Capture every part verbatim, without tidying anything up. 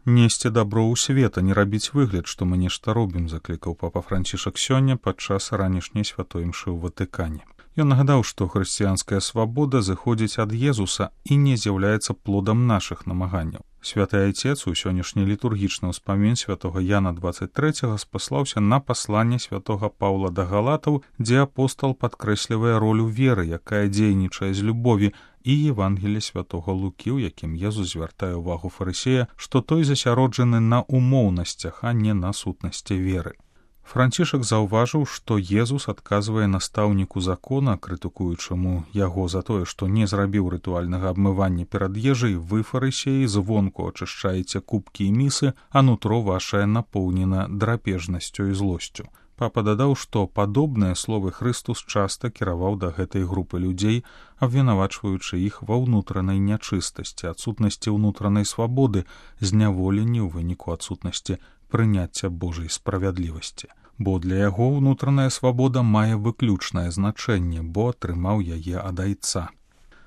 Несці дабро ў свет, а не рабіць выгляд, што мы нешта робім, заклікаў папа Францішак сёння падчас ранішняй святой імшы ў Ватыкане. Ён нагадаў, што хрысціянская свабода зыходзіць ад Езуса і не з'яўляецца плодам нашых намаганняў. Святы Айцец у сённяшні літургічны ўспамін святога Яна дваццаць трэцяга спаслаўся на пасланне святога Паўла да галатаў, дзе апостал падкрэслівае ролю веры, якая дзейнічае з любові, і Евангелле святога Лукі, у якім Езус звяртае ўвагу фарысея, што той засяроджаны на умоўнасцях, а не на сутнасці веры. Францішак заўважыў, што Езус адказвае настаўніку закона, крытыкуючаму яго за тое, што не зрабіў рытуальнага абмывання перад ежай: вы, фарысеі, звонку ачышчаеце кубкі і місы, а нутро вашае напоўнена драпежнасцю і злосцю. Папа дадаў, што падобныя словы Хрыстус часта кіраваў да гэтай групы людзей, абвінавачваючы іх ва ўнутранай нячыстасці, адсутнасці ўнутранай свабоды, зняволенні ў выніку адсутнасці прыняцця Божай справядлівасці. Бо для яго ўнутраная свабода мае выключнае значэнне, бо атрымаў яе ад Айца.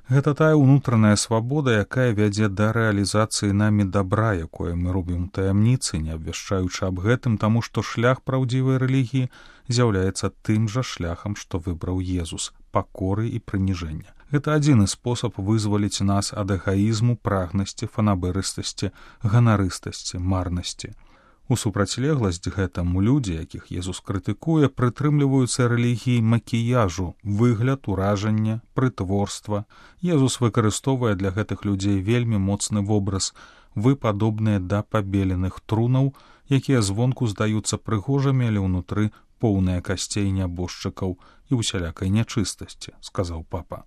Гэта тая ўнутраная свабода, якая вядзе да рэалізацыі намі дабра, якое мы робім у таямніцы, не абвяшчаючы аб гэтым, таму што шлях праўдзівай рэлігіі з'яўляецца тым жа шляхам, што выбраў Езус — пакоры і прыніжэння. Гэта адзіны спосаб вызваліць нас ад эгаізму, прагнасці, фанабэрыстасці, ганарыстасці, марнасці. У супрацьлегласць гэтаму людзі, якіх Езус крытыкуе, прытрымліваюцца рэлігіі макіяжу, выгляд, уражання, прытворства. Езус выкарыстоўвае для гэтых людзей вельмі моцны вобраз: вы падобныя да пабеленых трунаў, якія звонку здаюцца прыгожымі, але ўнутры поўныя касцей нябожчыкаў і усялякай нячыстасці, сказаў папа.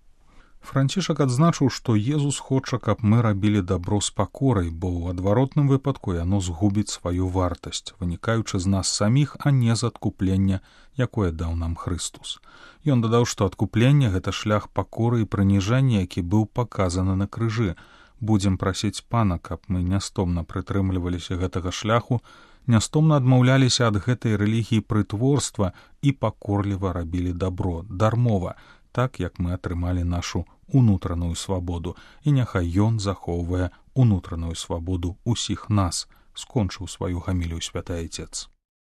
Францішак адзначыў, што Езус хоча, каб мы рабілі дабро з пакорай, бо ў адваротным выпадку яно згубіць сваю вартасць, вынікаючы з нас саміх, а не з адкуплення, якое даў нам Хрыстус. Ён дадаў, што адкупленне — гэта шлях пакоры і прыніжэння, які быў паказаны на крыжы. Будзем прасіць Пана, каб мы нястомна прытрымліваліся гэтага шляху, нястомна адмаўляліся ад гэтай рэлігіі прытворства і пакорліва рабілі дабро, дармова, так, як мы атрымалі нашу унутраную свабоду, і няхай ён захоўвае унутраную свабоду ўсіх нас, скончыў сваю гамілію святы Айцец.